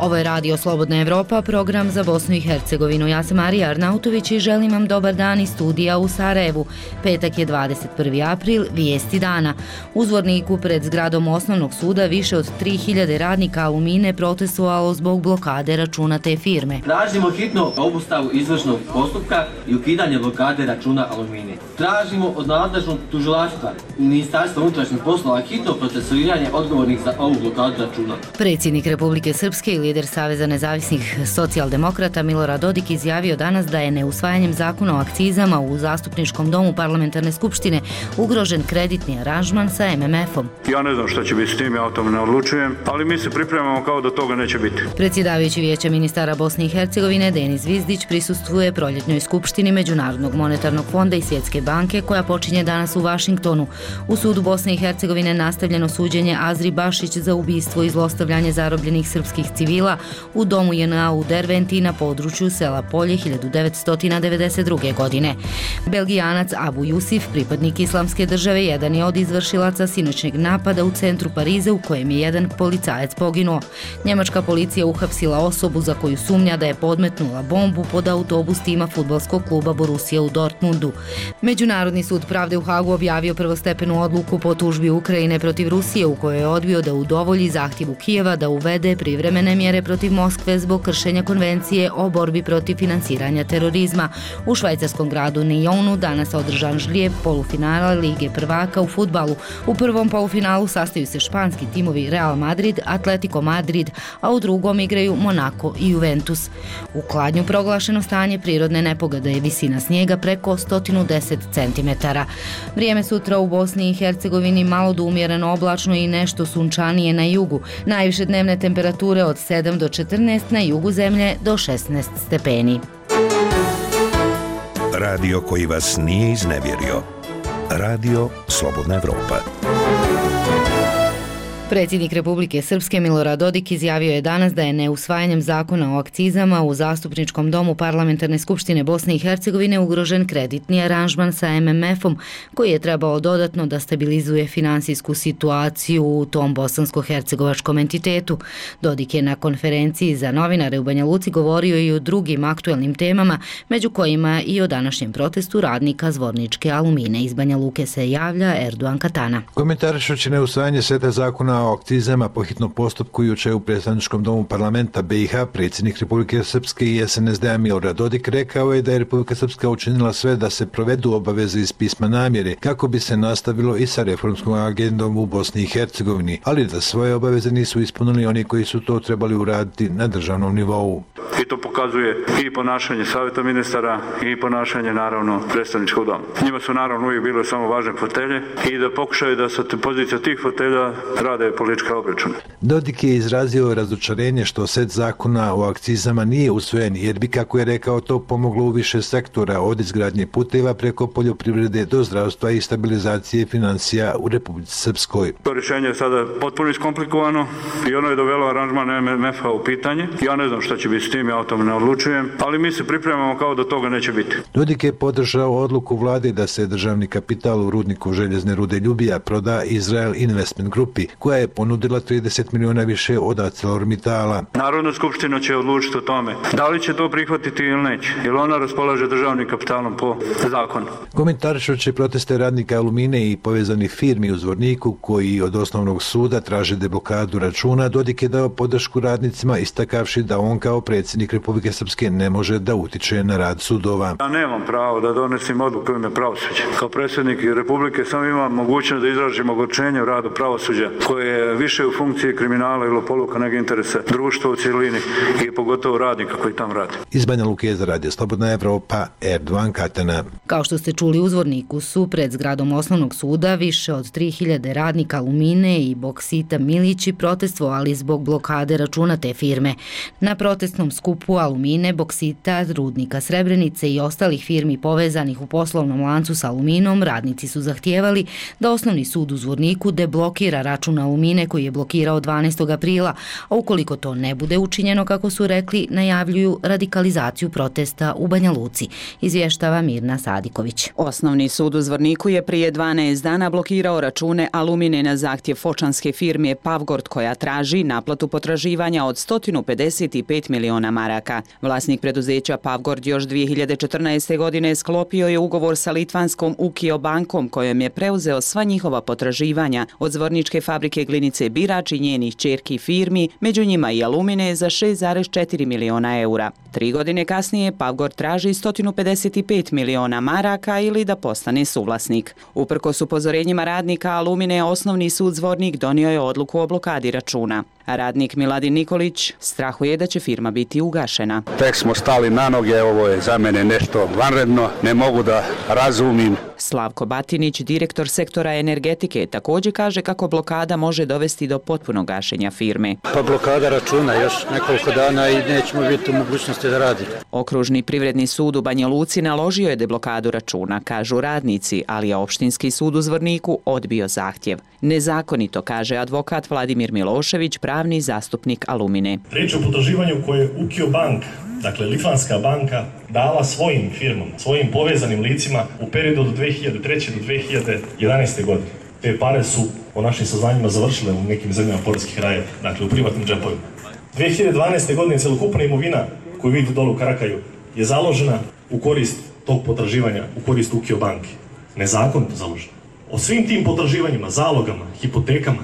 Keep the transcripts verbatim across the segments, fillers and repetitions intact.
Ovo je Radio Slobodna Evropa, program za Bosnu i Hercegovinu. Ja sam Marija Arnautović i želim vam dobar dan iz studija u Sarajevu. Petak je dvadeset prvi april, vijesti dana. U Zvorniku pred zgradom Osnovnog suda više od tri hiljade radnika Alumine protestovalo zbog blokade računa te firme. Tražimo hitno obustavu izvršnog postupka i ukidanje blokade računa Alumine. Tražimo od nadležnog tužilaštva i Ministarstva unutrašnjih poslova hitno procesuiranje odgovornih za ovu blokadu računa. Predsjednik Republike Srpske i lider Saveza nezavisnih socijaldemokrata Milorad Dodik izjavio danas da je neusvajanjem zakona o akcizama u Zastupničkom domu Parlamentarne skupštine ugrožen kreditni aranžman sa em em efom. Ja ne znam šta će biti s tim, ja o tome ne odlučujem, ali mi se pripremamo kao da toga neće biti. Predsjedavajući Vijeća ministara Bosne i Hercegovine Denis Zvizdić prisustvuje proljetnoj skupštini Međunarodnog monetarnog fonda i Svjetske banke koja počinje danas u Vašingtonu. U sudu Bosne i Hercegovine nastavljeno suđenje Azri Bašić za ubistvo i zlostavljanje zarobljenih srpskih civila u domu je en a u Derventi na području sela Polje hiljadu devetsto devedeset druge. godine. Belgijanac Abu Jusif, pripadnik Islamske države, jedan je od izvršilaca sinoćnjeg napada u centru Pariza u kojem je jedan policajac poginuo. Njemačka policija uhapsila osobu za koju sumnja da je podmetnula bombu pod autobus tima fudbalskog kluba Borussia u Dortmundu. Međunarodni sud pravde u Hagu objavio prvostepenu odluku po tužbi Ukrajine protiv Rusije u kojoj je odbio da udovolji zahtjevu Kijeva da uvede privremene mjere protiv Moskve zbog kršenja konvencije o borbi protiv finansiranja terorizma. U švajcarskom gradu Nyonu danas održan žlijeb polufinala Lige prvaka u fudbalu. U prvom polufinalu sastaju se španski timovi Real Madrid, Atletico Madrid, a u drugom igraju Monaco i Juventus. U Kladnju proglašeno stanje prirodne nepogode je visina snijega preko sto deset centimetara. Vrijeme sutra u Bosni i Hercegovini malo do umjereno oblačno i nešto sunčanije na jugu. Najviše dnevne temperature od sedam do četrnaest, na jugu zemlje do šesnaest stepeni. Radio koji vas nije iznevjerio. Radio Slobodna Evropa. Predsjednik Republike Srpske Milorad Dodik izjavio je danas da je neusvajanjem zakona o akcizama u Zastupničkom domu Parlamentarne skupštine Bosne i Hercegovine ugrožen kreditni aranžman sa em em efom koji je trebao dodatno da stabilizuje finansijsku situaciju u tom bosansko-hercegovačkom entitetu. Dodik je na konferenciji za novinare u Banja Luci govorio i o drugim aktuelnim temama, među kojima i o današnjem protestu radnika Zvorničke Alumine. Iz Banja Luke se javlja Erdogan Katana. Komentarišući neusvajanje seta zakona o akcizama po hitnom postupku juče u Predstavničkom domu parlamenta be i ha, predsjednik Republike Srpske i es en es de a Milorad Dodik rekao je da je Republika Srpska učinila sve da se provedu obaveze iz pisma namjere kako bi se nastavilo i sa reformskom agendom u Bosni i Hercegovini, ali da svoje obaveze nisu ispunili oni koji su to trebali uraditi na državnom nivou. I to pokazuje i ponašanje savjeta ministara i ponašanje naravno predstavničkog doma. Njima su naravno uvijek bile samo važne fotelje i da pokušaju da sa pozicija tih fotelja rade politička obračuna. Dodik je izrazio razočarenje što set zakona o akcizama nije usvojen jer bi, kako je rekao, to pomoglo u više sektora od izgradnje puteva preko poljoprivrede do zdravstva i stabilizacije financija u Republici Srpskoj. To rješenje je sada potpuno iskomplikovano i ono je dovelo aranžman em em efa u pitanje. Ja ne znam šta će biti s tim, ja o tome ne odlučujem, ali mi se pripremamo kao da toga neće biti. Dodik je podržao odluku vlade da se državni kapital u rudniku željezne rude Ljubija proda Israel Investment Grupi, koja je ponudila trideset miliona više od ArcelorMittala. Narodna skupština će odlučiti o tome da li će to prihvatiti ili neće, jer ona raspolaže državnim kapitalom po zakonu. Komentarišući proteste radnika Alumine i povezanih firmi u Zvorniku koji od osnovnog suda traže deblokadu računa, Dodik je dao podršku radnicima istakavši da on kao predsjednik Republike Srpske ne može da utiče na rad sudova. Ja nemam pravo da donesim odluku u ime pravosuđa. Kao predsjednik Republike sam imam mogućnost da izražim ogorčenje u radu pravosuđa koje je više u funkciji kriminala ili poluka nego interesa društva u cijelini i pogotovo radnika koji tam radi. Iz Banja Luke za Radio Slobodna Evropa, Erdogan Katana. Kao što ste čuli, u Zvorniku su pred zgradom Osnovnog suda više od tri hiljade radnika Alumine i Boksita Milići protestovali zbog blokade računa te firme. Na protestnom skupu Alumine, Boksita, Rudnika Srebrenice i ostalih firmi povezanih u poslovnom lancu s Aluminom, radnici su zahtijevali da Osnovni sud u Zvorniku deblokira račun Alumine Alumine koji je blokirao dvanaestog aprila, a ukoliko to ne bude učinjeno, kako su rekli, najavljuju radikalizaciju protesta u Banja Luci, izvještava Mirna Sadiković. Osnovni sud u Zvorniku je prije dvanaest dana blokirao račune Alumine na zahtjev fočanske firme Pavgord koja traži naplatu potraživanja od sto pedeset pet miliona maraka. Vlasnik preduzeća Pavgord još dvije hiljade četrnaeste. godine sklopio je ugovor sa litvanskom Ukio bankom kojom je preuzeo sva njihova potraživanja od zvorničke fabrike glinice Birač i njenih ćerki firmi, među njima i Alumine za šest zarez četiri miliona eura. Tri godine kasnije Pavgord traži sto pedeset pet miliona maraka ili da postane suvlasnik. Uprkos upozorenjima radnika Alumine, osnovni sud Zvornik donio je odluku o blokadi računa. Radnik Miladin Nikolić strahuje da će firma biti ugašena. Tek smo stali na noge, ovo je za mene nešto vanredno, ne mogu da razumim. Slavko Batinić, direktor sektora energetike, također kaže kako blokada može dovesti do potpunog gašenja firme. Pa blokada računa još nekoliko dana i nećemo biti u mogućnosti da radimo. Okružni privredni sud u Banja Luci naložio je deblokadu računa, kažu radnici, ali je opštinski sud u Zvorniku odbio zahtjev. Nezakonito, kaže advokat Vladimir Milošević, pravni zastupnik Alumine. Riječ o potraživanju koje je Ukio bank, dakle litvanska banka, dala svojim firmama, svojim povezanim licima u periodu od dvije hiljade treće. do dvije hiljade jedanaeste. godine. Te pare su, po našim saznanjima, završile u nekim zemljama poreskih rajeva, dakle u privatnim džepovima. dvije hiljade dvanaeste. godine celokupna imovina koju vidite dole u Karakaju je založena u korist tog potraživanja, u korist Ukio banke. Nezakonito založena. O svim tim potraživanjima, zalogama, hipotekama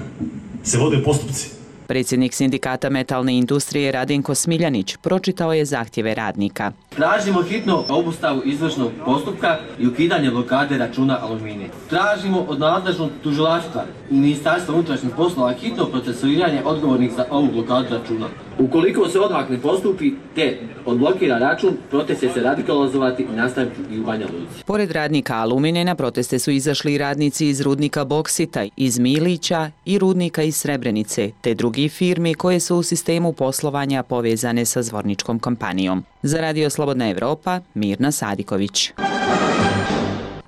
se vode postupci. Predsjednik sindikata metalne industrije Radenko Smiljanić pročitao je zahtjeve radnika. Tražimo hitno obustavu izvršnog postupka i ukidanje blokade računa Alumine. Tražimo od nadležnog tužilaštva i Ministarstva unutrašnjih poslova hitno procesuiranje odgovornih za ovu blokadu računa. Ukoliko se odmah ne postupi te odblokira račun, protest će se radikalizovati i nastaviti i u Banja Luci. Pored radnika Alumine na proteste su izašli radnici iz rudnika Boksita, iz Milića i rudnika iz Srebrenice, te drugi firmi koje su u sistemu poslovanja povezane sa zvorničkom kompanijom. Za Radio Slobodna Evropa, Mirna Sadiković.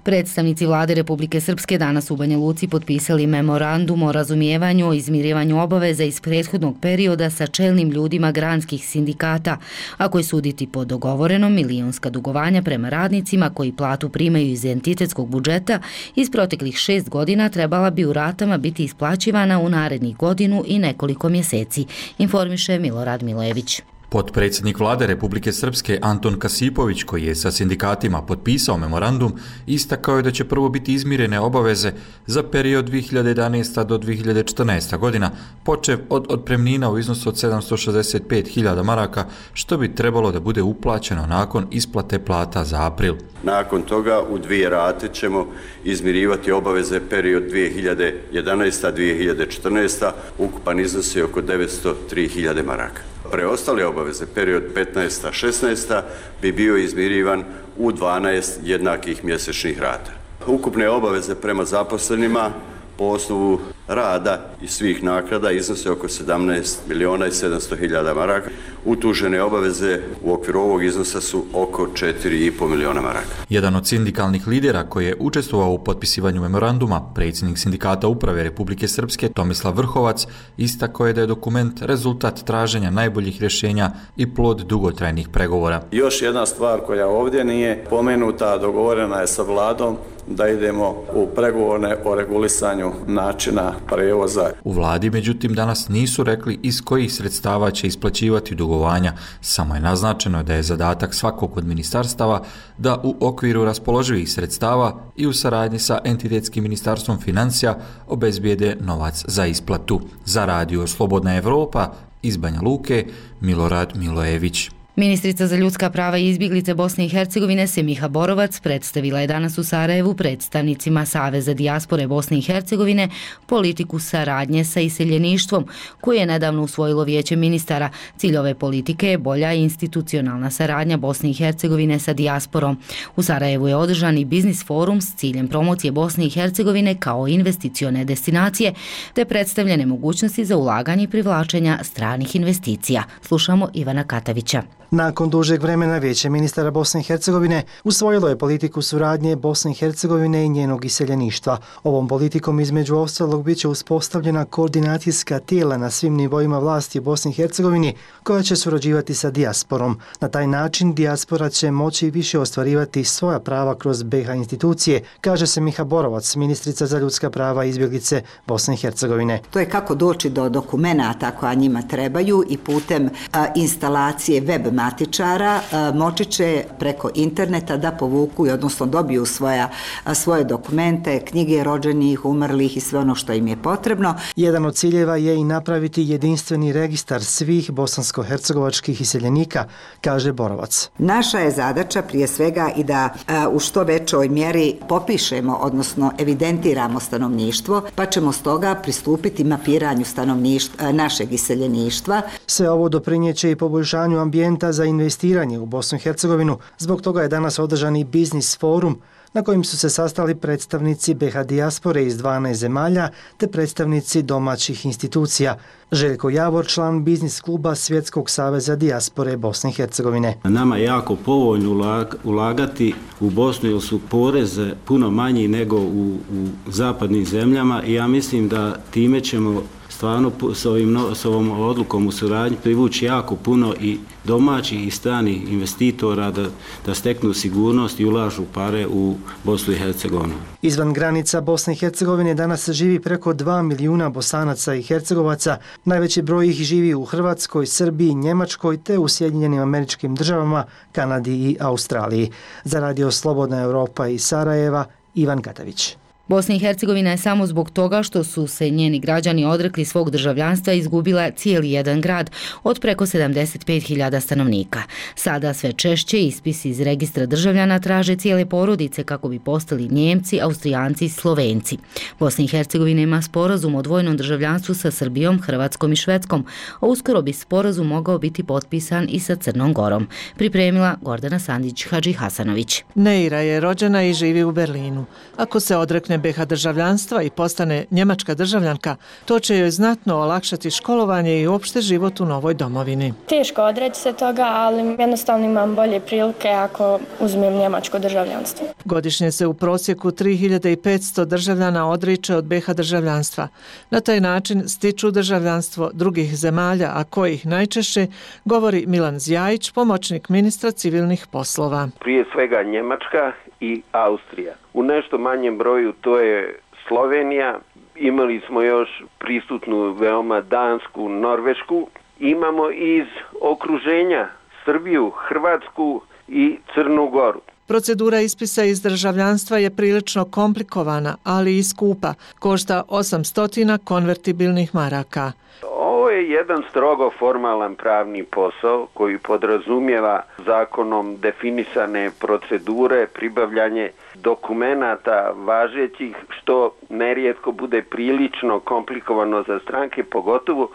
Predstavnici vlade Republike Srpske danas u Banja Luci potpisali memorandum o razumijevanju o izmirivanju obaveza iz prethodnog perioda sa čelnim ljudima granskih sindikata, a koji suditi po dogovorenom milionska dugovanja prema radnicima koji platu primaju iz entitetskog budžeta iz proteklih šest godina trebala bi u ratama biti isplaćivana u narednih godinu i nekoliko mjeseci, informiše Milorad Milojević. Potpredsjednik vlade Republike Srpske Anton Kasipović, koji je sa sindikatima potpisao memorandum, istakao je da će prvo biti izmirene obaveze za period dvije hiljade jedanaesta. do dvije hiljade četrnaeste. godina, počev od otpremnina u iznosu od sedamsto šezdeset pet hiljada maraka, što bi trebalo da bude uplaćeno nakon isplate plata za april. Nakon toga u dvije rate ćemo izmirivati obaveze period dvije hiljade jedanaesta. do dvije hiljade četrnaeste. Ukupan iznos je oko devetsto tri hiljade maraka. Preostale obaveze, period petnaesta šesnaesta. bi bio izmirivan u dvanaest jednakih mjesečnih rata. Ukupne obaveze prema zaposlenima po osnovu rada i svih naknada iznose oko sedamnaest miliona i sedamsto hiljada maraka. Utužene obaveze u okviru ovog iznosa su oko četiri i po miliona maraka. Jedan od sindikalnih lidera koji je učestvovao u potpisivanju memoranduma, predsjednik sindikata uprave Republike Srpske Tomislav Vrhovac, istakao je da je dokument rezultat traženja najboljih rješenja i plod dugotrajnih pregovora. Još jedna stvar koja ovdje nije pomenuta, dogovorena je sa vladom da idemo u pregovore o regulisanju načina prevoza. U vladi, međutim, danas nisu rekli iz kojih sredstava će isplaćivati dugovanja, samo je naznačeno da je zadatak svakog od ministarstava da u okviru raspoloživih sredstava i u saradnji sa entitetskim ministarstvom financija obezbijede novac za isplatu. Za Radio Slobodna Evropa iz Banja Luke, Milorad Milojević. Ministrica za ljudska prava i izbjeglice Bosne i Hercegovine Semiha Borovac predstavila je danas u Sarajevu predstavnicima Saveza dijaspore Bosne i Hercegovine politiku saradnje sa iseljeništvom koju je nedavno usvojilo Vijeće ministara. Cilj ove politike je bolja institucionalna saradnja Bosne i Hercegovine sa dijasporom. U Sarajevu je održan i biznis forum s ciljem promocije Bosne i Hercegovine kao investicione destinacije te predstavljene mogućnosti za ulaganje i privlačenja stranih investicija. Slušamo Ivana Katavića. Nakon dužeg vremena Vijeće ministara Bosne i Hercegovine usvojilo je politiku suradnje Bosne i Hercegovine i njenog iseljeništva. Ovom politikom između ostalog bit će uspostavljena koordinacijska tijela na svim nivoima vlasti u Bosni i Hercegovini koja će surađivati sa dijasporom. Na taj način dijaspora će moći više ostvarivati svoja prava kroz B iH institucije, kaže se Miha Borovac, ministrica za ljudska prava i izbjeglice Bosne i Hercegovine. To je kako doći do dokumenata koja njima trebaju i putem a, instalacije web matičara a, moći će preko interneta da povuku i odnosno dobiju svoja, a, svoje dokumente, knjige rođenih, umrlih i sve ono što im je potrebno. Jedan od ciljeva je i napraviti jedinstveni registar svih bosansko-hercegovačkih iseljenika, kaže Borovac. Naša je zadaća prije svega i da a, u što većoj mjeri popišemo, odnosno evidentiramo stanovništvo, pa ćemo stoga pristupiti mapiranju stanovništva, našeg iseljeništva. Sve ovo doprinjeće i poboljšanju ambijenta za investiranje u Bosnu i Hercegovinu. Zbog toga je danas održan i biznis forum na kojim su se sastali predstavnici B iH dijaspore iz dvanaest zemalja te predstavnici domaćih institucija. Željko Javor, član biznis kluba Svjetskog saveza dijaspore Bosne i Hercegovine. Nama je jako povoljno ulagati u Bosnu jer su poreze puno manji nego u, u zapadnim zemljama i ja mislim da time ćemo stvarno s, ovim, s ovom odlukom u suradnji privući jako puno i domaćih i stranih investitora da, da steknu sigurnost i ulažu pare u Bosnu i Hercegovinu. Izvan granica Bosne i Hercegovine danas živi preko dva milijuna Bosanaca i Hercegovaca. Najveći broj ih živi u Hrvatskoj, Srbiji, Njemačkoj te u Sjedinjenim Američkim Državama, Kanadi i Australiji. Za Radio Slobodna Europa iz Sarajeva, Ivan Katavić. Bosna i Hercegovina je samo zbog toga što su se njeni građani odrekli svog državljanstva izgubila cijeli jedan grad od preko sedamdeset pet hiljada stanovnika. Sada sve češće ispisi iz registra državljana traže cijele porodice kako bi postali Njemci, Austrijanci i Slovenci. Bosna i Hercegovina ima sporazum o dvojnom državljanstvu sa Srbijom, Hrvatskom i Švedskom, a uskoro bi sporazum mogao biti potpisan i sa Crnom Gorom. Pripremila Gordana Sandić-Hadžihasanović. Neira je rođena i živi u Berlinu. Ako se odrekne B iH državljanstva i postane njemačka državljanka, to će joj znatno olakšati školovanje i uopšte život u novoj domovini. Teško odreći se toga, ali jednostavno imam bolje prilike ako uzmem njemačko državljanstvo. Godišnje se u prosjeku tri hiljade petsto državljana odriče od B iH državljanstva. Na taj način stiču državljanstvo drugih zemalja, a kojih najčešće, govori Milan Zjajić, pomoćnik ministra civilnih poslova. Prije svega Njemačka i Austrija. U nešto manjem broju to je Slovenija, imali smo još prisutnu veoma Dansku, Norvešku, imamo iz okruženja Srbiju, Hrvatsku i Crnu Goru. Procedura ispisa iz državljanstva je prilično komplikovana, ali i skupa, košta osamsto konvertibilnih maraka. Ovo je jedan strogo formalan pravni posao koji podrazumijeva zakonom definisane procedure, pribavljanje dokumenata važećih, što nerijetko bude prilično komplikovano za stranke, pogotovo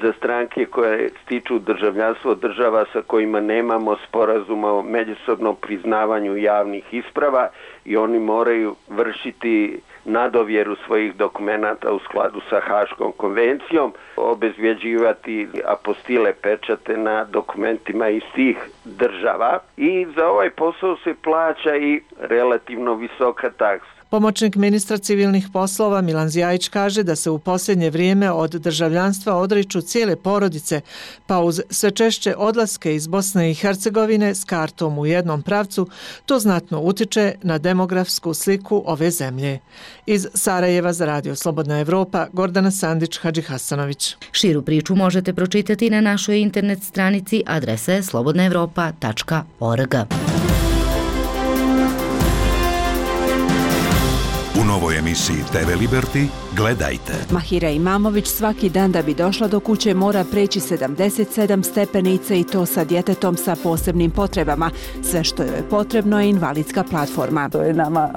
za stranke koje stiču državljanstvo država sa kojima nemamo sporazuma o međusobnom priznavanju javnih isprava i oni moraju vršiti nadovjeru svojih dokumenata u skladu sa Haškom konvencijom, obezvjeđivati apostile pečate na dokumentima iz tih država i za ovaj posao se plaća i relativno visoka taksa. Pomoćnik ministra civilnih poslova Milan Zjajić kaže da se u posljednje vrijeme od državljanstva odriču cijele porodice, pa uz sve češće odlaske iz Bosne i Hercegovine s kartom u jednom pravcu, to znatno utiče na demografsku sliku ove zemlje. Iz Sarajeva za Radio Slobodna Evropa, Gordana Sandić-Hadžihasanović. Širu priču možete pročitati na našoj internet stranici, adresa je slobodna evropa tačka org. U novoj emisiji T V Liberty gledajte. Mahira Imamović svaki dan da bi došla do kuće mora preći sedamdeset sedam stepenica i to sa djetetom sa posebnim potrebama. Sve što joj je potrebno je invalidska platforma. To je nama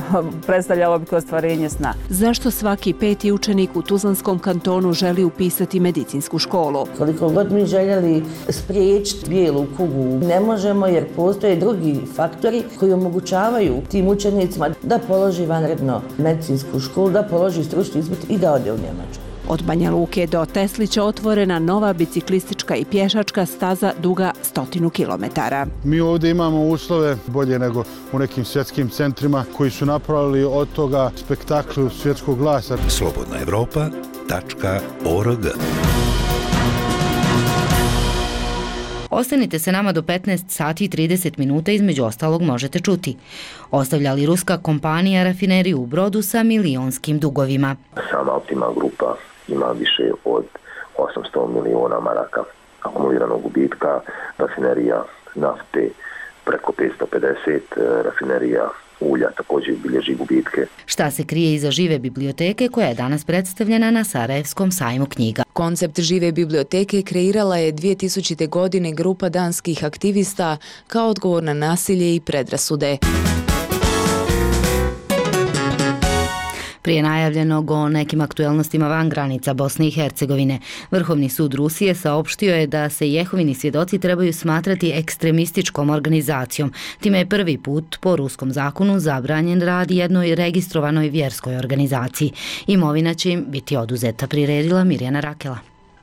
predstavljalo bi ostvarenje sna. Zašto svaki peti učenik u Tuzlanskom kantonu želi upisati medicinsku školu? Koliko god mi željeli spriječiti bijelu kugu, ne možemo jer postoje drugi faktori koji omogućavaju tim učenicima da položi vanredno medicinsku školu, da položi stručni ispit i da ode u Njemačku. Od Banja Luke do Teslića otvorena nova biciklistička i pješačka staza duga stotinu kilometara. Mi ovdje imamo uslove bolje nego u nekim svjetskim centrima koji su napravili od toga spektakl svjetskog glasa. slobodna evropa tačka org. Ostanite se nama do petnaest sati i trideset minuta, između ostalog možete čuti. Ostavlja li ruska kompanija rafineriju u Brodu sa milionskim dugovima? Sama Optima grupa ima više od osamsto miliona maraka akumuliranog gubitka, rafinerija nafte preko petsto pedeset, rafinerija ulja također bilježi gubitke. Šta se krije iza žive biblioteke koja je danas predstavljena na Sarajevskom sajmu knjiga? Koncept žive biblioteke kreirala je dvije tisućite. godine grupa danskih aktivista kao odgovor na nasilje i predrasude. Prije najavljenog o nekim aktuelnostima van granica Bosne i Hercegovine, Vrhovni sud Rusije saopštio je da se Jehovini svjedoci trebaju smatrati ekstremističkom organizacijom. Time je prvi put po ruskom zakonu zabranjen rad jednoj registrovanoj vjerskoj organizaciji. Imovina će im biti oduzeta, priredila Mirjana Rakela.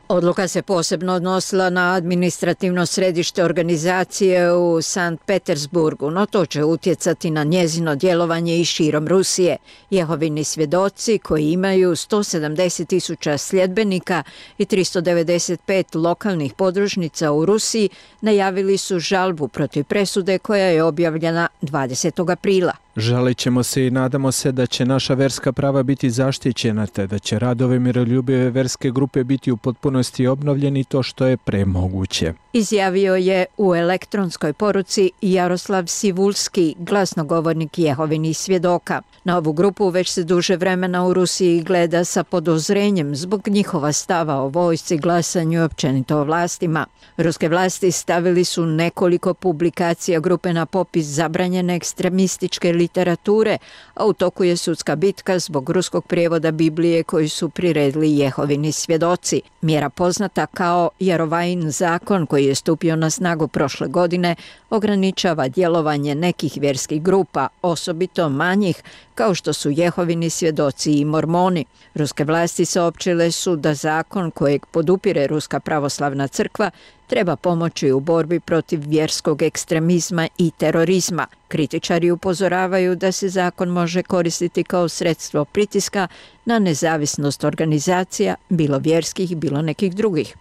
Odluka se posebno odnosila na administrativno središte organizacije u Sankt Petersburgu, no to će utjecati na njezino djelovanje i širom Rusije. Jehovini svjedoci, koji imaju sto sedamdeset tisuća sljedbenika i tristo devedeset pet lokalnih podružnica u Rusiji, najavili su žalbu protiv presude koja je objavljena dvadesetog aprila. Žalit ćemo se i nadamo se da će naša verska prava biti zaštićena, te da će radove miroljubive verske grupe biti u potpunosti obnovljeni to što je premoguće. Izjavio je u elektronskoj poruci Jaroslav Sivulski, glasnogovornik Jehovinih svjedoka. Na ovu grupu već se duže vremena u Rusiji gleda sa podozrenjem zbog njihova stava o vojsci, glasanju i općenito o vlastima. Ruske vlasti stavili su nekoliko publikacija grupe na popis zabranjene ekstremističke literature, a u toku je sudska bitka zbog ruskog prijevoda Biblije koji su priredili Jehovini svjedoci. Mjera poznata kao Jarovajin zakon, koji je stupio na snagu prošle godine, ograničava djelovanje nekih vjerskih grupa, osobito manjih, kao što su Jehovini svjedoci i mormoni. Ruske vlasti saopćile su da zakon kojeg podupire Ruska pravoslavna crkva treba pomoći u borbi protiv vjerskog ekstremizma i terorizma. Kritičari upozoravaju da se zakon može koristiti kao sredstvo pritiska na nezavisnost organizacija, bilo vjerskih, bilo nekih drugih.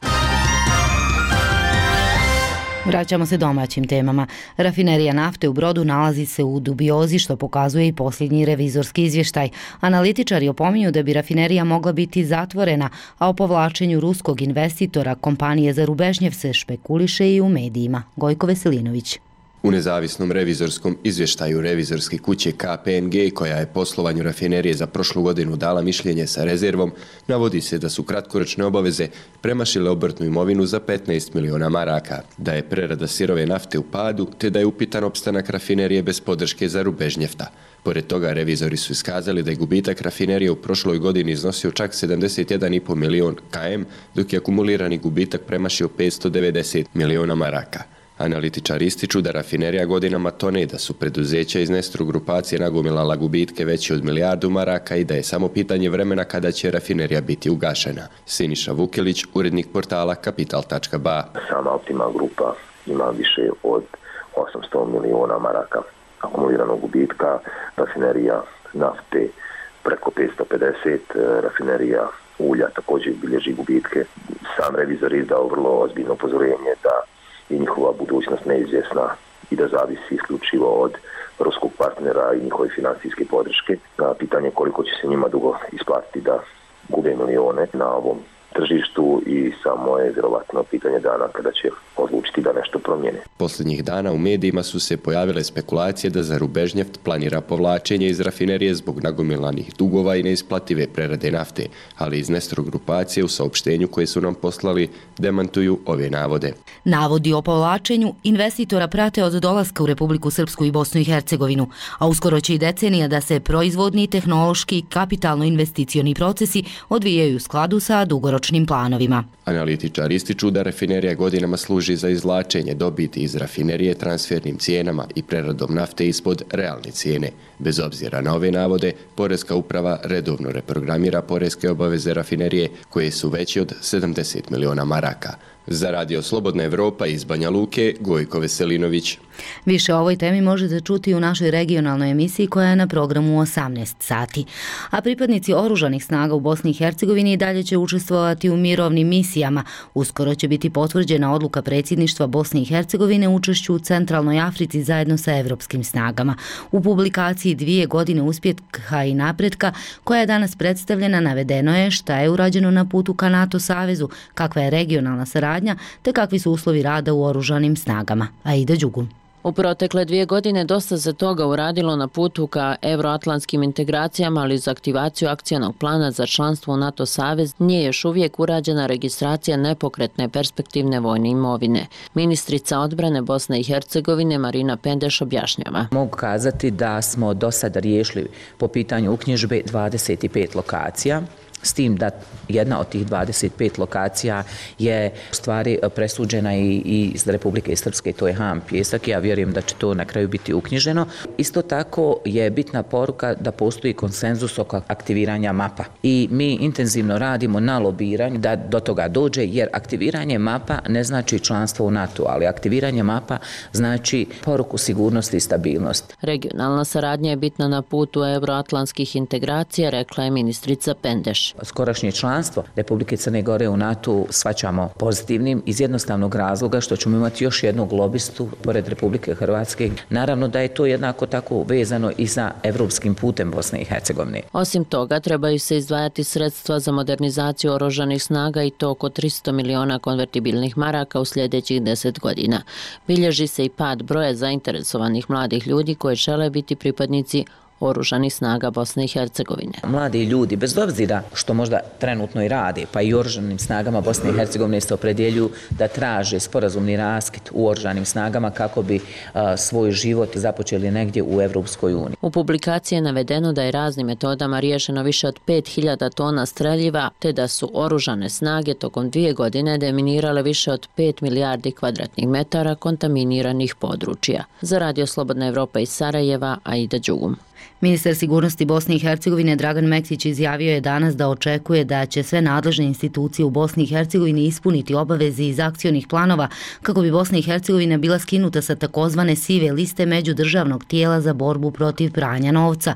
Vraćamo se domaćim temama. Rafinerija nafte u Brodu nalazi se u dubiozi, što pokazuje i posljednji revizorski izvještaj. Analitičari opominju da bi rafinerija mogla biti zatvorena, a o povlačenju ruskog investitora kompanije za Rubežnjev se špekuliše i u medijima. Gojko Veselinović. U nezavisnom revizorskom izvještaju revizorske kuće K P M G, koja je poslovanju rafinerije za prošlu godinu dala mišljenje sa rezervom, navodi se da su kratkoročne obaveze premašile obrtnu imovinu za petnaest miliona maraka, da je prerada sirove nafte u padu, te da je upitan opstanak rafinerije bez podrške za Rubežnjefta. Pored toga, revizori su iskazali da je gubitak rafinerije u prošloj godini iznosio čak sedamdeset jedan zarez pet milion kilometara, dok je akumulirani gubitak premašio petsto devedeset miliona maraka. Analitičari ističu da rafinerija godinama tone, da su preduzeća iz Nestru grupacije nagomilala gubitke veći od milijardu maraka i da je samo pitanje vremena kada će rafinerija biti ugašena. Siniša Vukelić, urednik portala kapital tačka ba. Sama Optima grupa ima više od osamsto miliona maraka akumuliranog gubitka, rafinerija nafte preko petsto pedeset, rafinerija ulja također bilježi gubitke. Sam revizor izdao vrlo ozbiljno upozorenje da i njihova budućnost neizvjesna i da zavisi isključivo od ruskog partnera i njihove financijske podrške. Pitanje koliko će se njima dugo isplatiti da gube milione na ovom tržištu i samo je vjerovatno pitanje dana kada će odlučiti da nešto promijene. Posljednjih dana u medijima su se pojavile spekulacije da za Rubežnjeft planira povlačenje iz rafinerije zbog nagomilanih dugova i neisplative prerade nafte, ali iz Nestro grupacije u saopštenju koje su nam poslali demantuju ove navode. Navodi o povlačenju investitora prate od dolaska u Republiku Srpsku i Bosnu i Hercegovinu, a uskoro će i decenija da se proizvodni, tehnološki, kapitalno-investicioni procesi odvijaju u skladu sa dugoročnim dugoročnim planovima. Analitičari ističu da rafinerija godinama služi za izvlačenje dobiti iz rafinerije transfernim cijenama i preradom nafte ispod realne cijene. Bez obzira na ove navode, Poreska uprava redovno reprogramira poreske obaveze rafinerije koje su veće od sedamdeset miliona maraka. Za Radio Slobodna Evropa iz Banja Luke, Gojko Veselinović. Više o ovoj temi možete čuti u našoj regionalnoj emisiji koja je na programu u osamnaest sati. A pripadnici oružanih snaga u Bosni i Hercegovini i dalje će učestvovati u mirovnim misijama. Uskoro će biti potvrđena odluka predsjedništva Bosne i Hercegovine u učešću u Centralnoj Africi zajedno sa evropskim snagama. U publikaciji Dvije godine uspjeha i napretka, koja je danas predstavljena, navedeno je šta je urađeno na putu ka NATO savezu, kakva je regionalna saradnja, te kakvi su uslovi rada u oružanim snagama. Aida Đugum. U protekle dvije godine dosta se toga uradilo na putu ka euroatlantskim integracijama, ali za aktivaciju akcionog plana za članstvo u NATO savez nije još uvijek urađena registracija nepokretne perspektivne vojne imovine. Ministrica odbrane Bosne i Hercegovine Marina Pendeš objašnjava. Mogu kazati da smo do sada riješili po pitanju uknjižbe dvadeset pet lokacija, s tim da jedna od tih dvadeset pet lokacija je u stvari presuđena i iz Republike Srpske, to je Ham Pjesak. Ja vjerujem da će to na kraju biti uknjiženo. Isto tako je bitna poruka da postoji konsenzus oko aktiviranja mapa. I mi intenzivno radimo na lobiranju da do toga dođe, jer aktiviranje mapa ne znači članstvo u NATO, ali aktiviranje mapa znači poruku sigurnosti i stabilnosti. Regionalna saradnja je bitna na putu euroatlantskih integracija, rekla je ministrica Pendeš. Skorašnje članstvo Republike Crne Gore u NATO shvaćamo pozitivnim iz jednostavnog razloga što ćemo imati još jednog lobistu pored Republike Hrvatske. Naravno da je to jednako tako vezano i sa evropskim putem Bosne i Hercegovine. Osim toga, trebaju se izdvajati sredstva za modernizaciju oružanih snaga i to oko tristo miliona konvertibilnih maraka u sljedećih deset godina. Bilježi se i pad broja zainteresovanih mladih ljudi koji žele biti pripadnici oružanih snaga Bosne i Hercegovine. Mladi ljudi, bez obzira što možda trenutno i rade, pa i oružanim snagama Bosne i Hercegovine se opredjeljuju da traže sporazumni raskid u oružanim snagama kako bi a, svoj život započeli negdje u Evropskoj uniji. U publikaciji je navedeno da je raznim metodama riješeno više od pet hiljada tona streljiva, te da su oružane snage tokom dvije godine deminirale više od pet milijardi kvadratnih metara kontaminiranih područja. Za Radio Slobodna Evropa iz Sarajeva, Aida Đugum. Ministar sigurnosti Bosne i Hercegovine Dragan Mektić izjavio je danas da očekuje da će sve nadležne institucije u Bosni i Hercegovini ispuniti obaveze iz akcionih planova kako bi Bosna i Hercegovina bila skinuta sa takozvane sive liste međudržavnog tijela za borbu protiv pranja novca.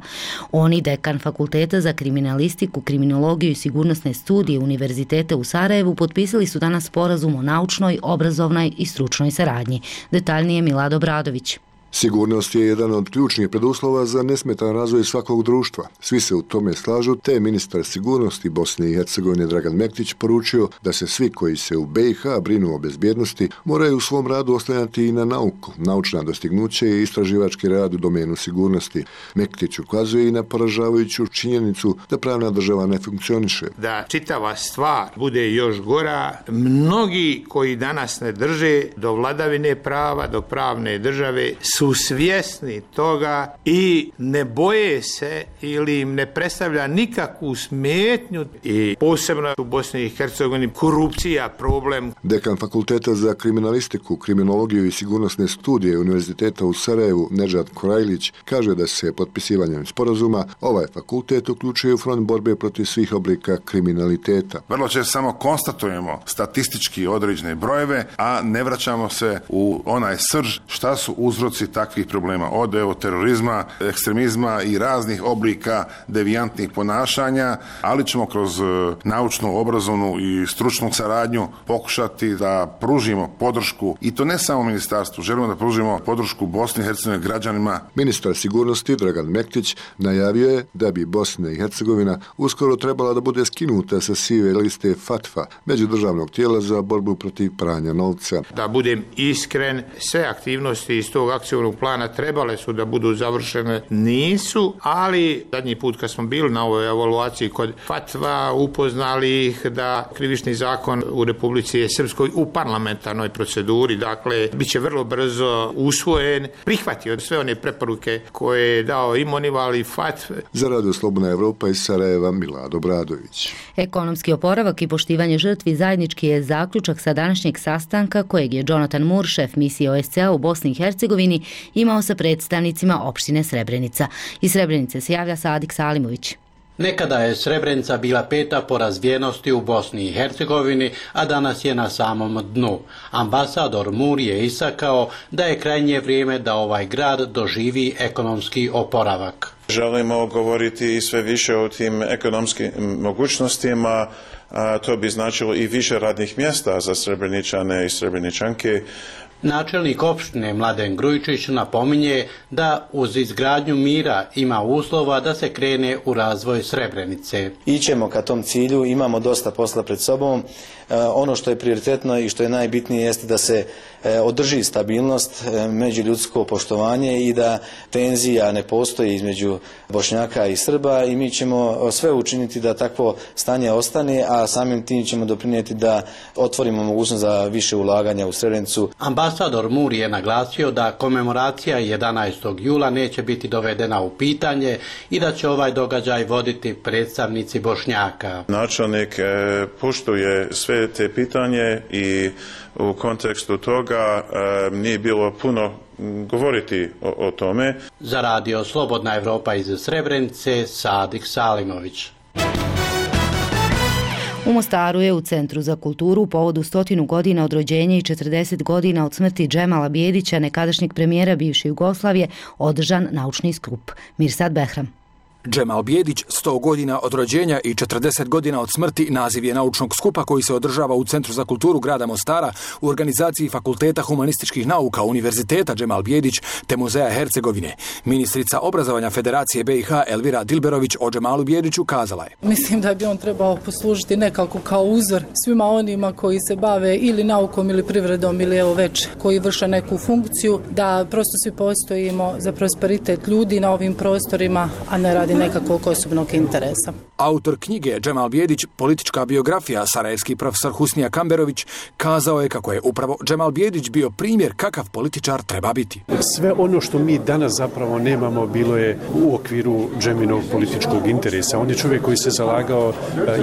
On i dekan Fakulteta za kriminalistiku, kriminologiju i sigurnosne studije Univerziteta u Sarajevu potpisali su danas sporazum o naučnoj, obrazovnoj i stručnoj saradnji. Detaljnije Milad Bradović. Sigurnost je jedan od ključnih preduslova za nesmetan razvoj svakog društva. Svi se u tome slažu, te je ministar sigurnosti Bosne i Hercegovine Dragan Mektić poručio da se svi koji se u B i H brinu o bezbjednosti moraju u svom radu oslanjati i na nauku, naučna dostignuća i istraživački rad u domenu sigurnosti. Mektić ukazuje i na poražavajuću činjenicu da pravna država ne funkcioniše. Da čitava stvar bude još gora, mnogi koji danas ne drže do vladavine prava, do pravne države, su svjesni toga i ne boje se ili im ne predstavlja nikakvu smetnju i posebno u Bosni i Hercegovini korupcija problem. Dekan Fakulteta za kriminalistiku, kriminologiju i sigurnosne studije Univerziteta u Sarajevu Nedžad Korajlić kaže da se potpisivanjem sporazuma ovaj fakultet uključuje u front borbe protiv svih oblika kriminaliteta. Vrlo često samo konstatujemo statistički određene brojeve, a ne vraćamo se u onaj srž šta su uzroci takvih problema, od evo, terorizma, ekstremizma i raznih oblika devijantnih ponašanja, ali ćemo kroz naučnu, obrazovnu i stručnu saradnju pokušati da pružimo podršku, i to ne samo ministarstvu, želimo da pružimo podršku Bosni i Hercegovine građanima. Ministar sigurnosti Dragan Mektić najavio je da bi Bosna i Hercegovina uskoro trebala da bude skinuta sa sive liste FATFA, međudržavnog tijela za borbu protiv pranja novca. Da budem iskren, sve aktivnosti iz tog akcijnog akcionog plana trebale su da budu završene, nisu, ali zadnji put kad smo bili na ovoj evaluaciji kod Fatva, upoznali ih da krivični zakon u Republici Srpskoj u parlamentarnoj proceduri, dakle, bit će vrlo brzo usvojen, prihvatio sve one preporuke koje je dao i Monival i Fatv. Za Radio Slobodna Evropa iz Sarajeva, Milado Bradović. Ekonomski oporavak i poštivanje žrtvi zajednički je zaključak sa današnjeg sastanka kojeg je Jonathan Moore, šef misije O S C E u Bosni i Hercegovini, imao sa predstavnicima opštine Srebrenica. Iz Srebrenice se javlja Sadik Salimović. Nekada je Srebrenica bila peta po razvijenosti u Bosni i Hercegovini, a danas je na samom dnu. Ambasador Moore je istakao da je krajnje vrijeme da ovaj grad doživi ekonomski oporavak. Želimo govoriti i sve više o tim ekonomskim mogućnostima, a to bi značilo i više radnih mjesta za Srebreničane i Srebreničanke. Načelnik opštine Mladen Grujičić napominje da uz izgradnju mira ima uslova da se krene u razvoj Srebrenice. Ićemo ka tom cilju, imamo dosta posla pred sobom. Ono što je prioritetno i što je najbitnije jeste da se održi stabilnost, međuljudsko poštovanje i da tenzija ne postoji između Bošnjaka i Srba i mi ćemo sve učiniti da takvo stanje ostane, a samim tim ćemo doprinijeti da otvorimo mogućnost za više ulaganja u Srebrenicu. Ambasador Moore je naglasio da komemoracija jedanaestog jula neće biti dovedena u pitanje i da će ovaj događaj voditi predstavnici Bošnjaka. Načelnik poštuje sve te pitanje i u kontekstu toga e, nije bilo puno govoriti o, o tome. Za Radio Slobodna Evropa iz Srebrenice, Sadik Salimović. U Mostaru je u Centru za kulturu u povodu stotinu godina od rođenja i četrdeset godina od smrti Džemala Bijedića, nekadašnjeg premijera bivše Jugoslavije, održan naučni skup. Mirsad Behram. Džemal Bijedić, sto godina od rođenja i četrdeset godina od smrti, naziv je naučnog skupa koji se održava u Centru za kulturu grada Mostara u organizaciji Fakulteta humanističkih nauka Univerziteta Džemal Bijedić te Muzeja Hercegovine. Ministrica obrazovanja Federacije B i H Elvira Dilberović o Džemalu Bijediću kazala je: Mislim da bi on trebao poslužiti nekako kao uzor svima onima koji se bave ili naukom ili privredom ili evo već koji vrše neku funkciju, da prosto svi postojimo za prosperitet ljudi na ovim prostorima, a ne radi nekakvog osobnog interesa. Autor knjige Džemal Bijedić, politička biografija, sarajevski profesor Husnija Kamberović, kazao je kako je upravo Džemal Bijedić bio primjer kakav političar treba biti. Sve ono što mi danas zapravo nemamo bilo je u okviru Džeminog političkog interesa. On je čovjek koji se zalagao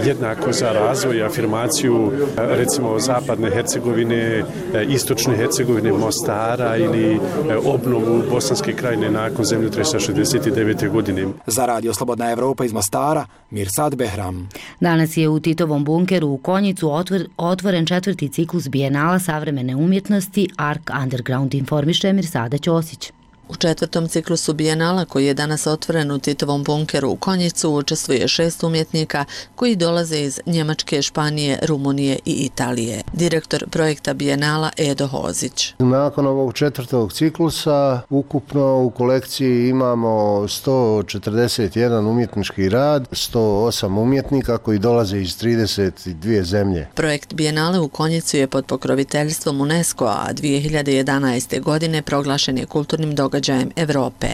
jednako za razvoj i afirmaciju recimo zapadne Hercegovine, istočne Hercegovine, Mostara ili obnovu Bosanske krajine nakon zemljotresa šezdeset devete godine. Za Radio Slobodna Evropa iz Mostara, Mirsad Behram. Danas je u Titovom bunkeru u Konjicu otvor, otvoren četvrti ciklus Bijenala savremene umjetnosti Ark Underground, informiše Mirsada Ćosić. U četvrtom ciklusu Bijenala, koji je danas otvoren u Titovom bunkeru u Konjicu, učestvuje šest umjetnika koji dolaze iz Njemačke, Španije, Rumunije i Italije. Direktor projekta Bijenala Edo Hozić. Nakon ovog četvrtog ciklusa ukupno u kolekciji imamo sto četrdeset jedan umjetnički rad, sto osam umjetnika koji dolaze iz trideset dvije zemlje. Projekt Bijenale u Konjicu je pod pokroviteljstvom UNESCO-a, a dvije hiljade jedanaeste. godine proglašen je kulturnim događajem događajem Evrope,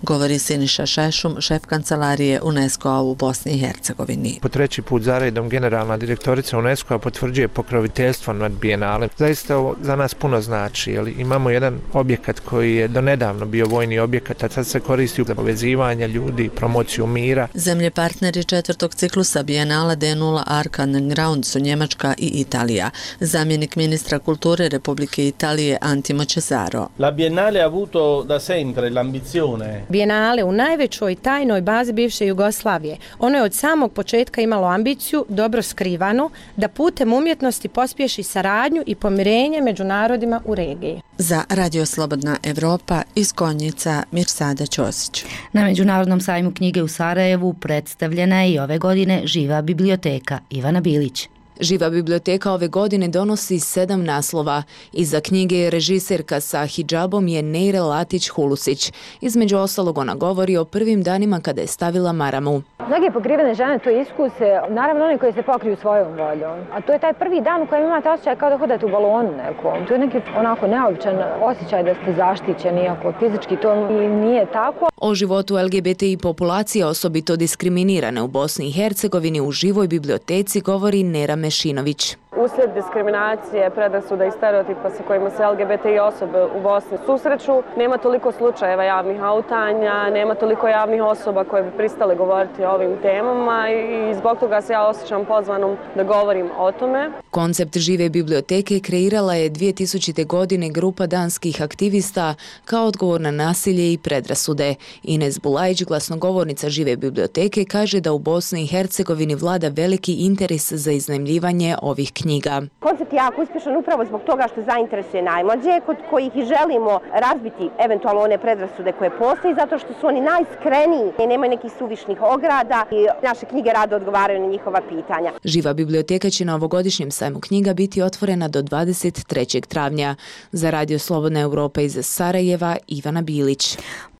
govori Siniša Šešum, šef kancelarije UNESCO-a u Bosni i Hercegovini. Po treći put za redom generalna direktorica UNESCO-a potvrđuje pokroviteljstvo nad Bijenalem. Zaista ovo za nas puno znači, jer imamo jedan objekat koji je donedavno bio vojni objekat, a sad se koristi za povezivanje ljudi, promociju mira. Zemlje partneri četvrtog ciklusa Bijenala D nula Ark Underground su Njemačka i Italija. Zamjenik ministra kulture Republike Italije Antimo Cesaro. La Biennale ha avuto da sempre l'ambizione. Bijenale u najvećoj tajnoj bazi bivše Jugoslavije. Ono je od samog početka imalo ambiciju, dobro skrivanu, da putem umjetnosti pospješi saradnju i pomirenje među narodima u regiji. Za Radio Slobodna Evropa iz Konjica, Mirsada Ćosić. Na Međunarodnom sajmu knjige u Sarajevu predstavljena je i ove godine Živa biblioteka. Ivana Bilić. Živa biblioteka ove godine donosi sedam naslova. Iza knjige je režiserka sa hidžabom je Neire Latić-Hulusić. Između ostalog ona govori o prvim danima kada je stavila maramu. Mnoge pokrivene žene to iskuse, naravno one koje se pokriju svojom voljom. A to je taj prvi dan u kojem imate osjećaj kao da hodate u balonu nekom. To je neki onako neobičan osjećaj da ste zaštićeni, iako fizički to i nije tako. O životu L G B T I populacije, osobito diskriminirane u Bosni i Hercegovini, u živoj biblioteci govori Nera Mešinović. Uslijed diskriminacije, predrasuda i stereotipa sa kojima se L G B T I osobe u Bosni susreću, nema toliko slučajeva javnih autanja, nema toliko javnih osoba koje bi pristale govoriti o ovim temama i zbog toga se ja osjećam pozvanom da govorim o tome. Koncept žive biblioteke kreirala je dvije tisućite. godine grupa danskih aktivista kao odgovor na nasilje i predrasude. Ines Bulajić, glasnogovornica žive biblioteke, kaže da u Bosni i Hercegovini vlada veliki interes za iznajmljivanje ovih knjiga. Koncept je jako uspješan upravo zbog toga što zainteresuje najmlađe, kod kojih i želimo razbiti eventualno one predrasude koje postoji, zato što su oni najskreniji i nemaju nekih suvišnih ograda i naše knjige rado odgovaraju na njihova pitanja. Živa biblioteka će na ovogodišnjem sajmu knjiga biti otvorena do dvadeset trećeg travnja. Za Radio Slobodna Europa iz Sarajeva, Ivana Bilić.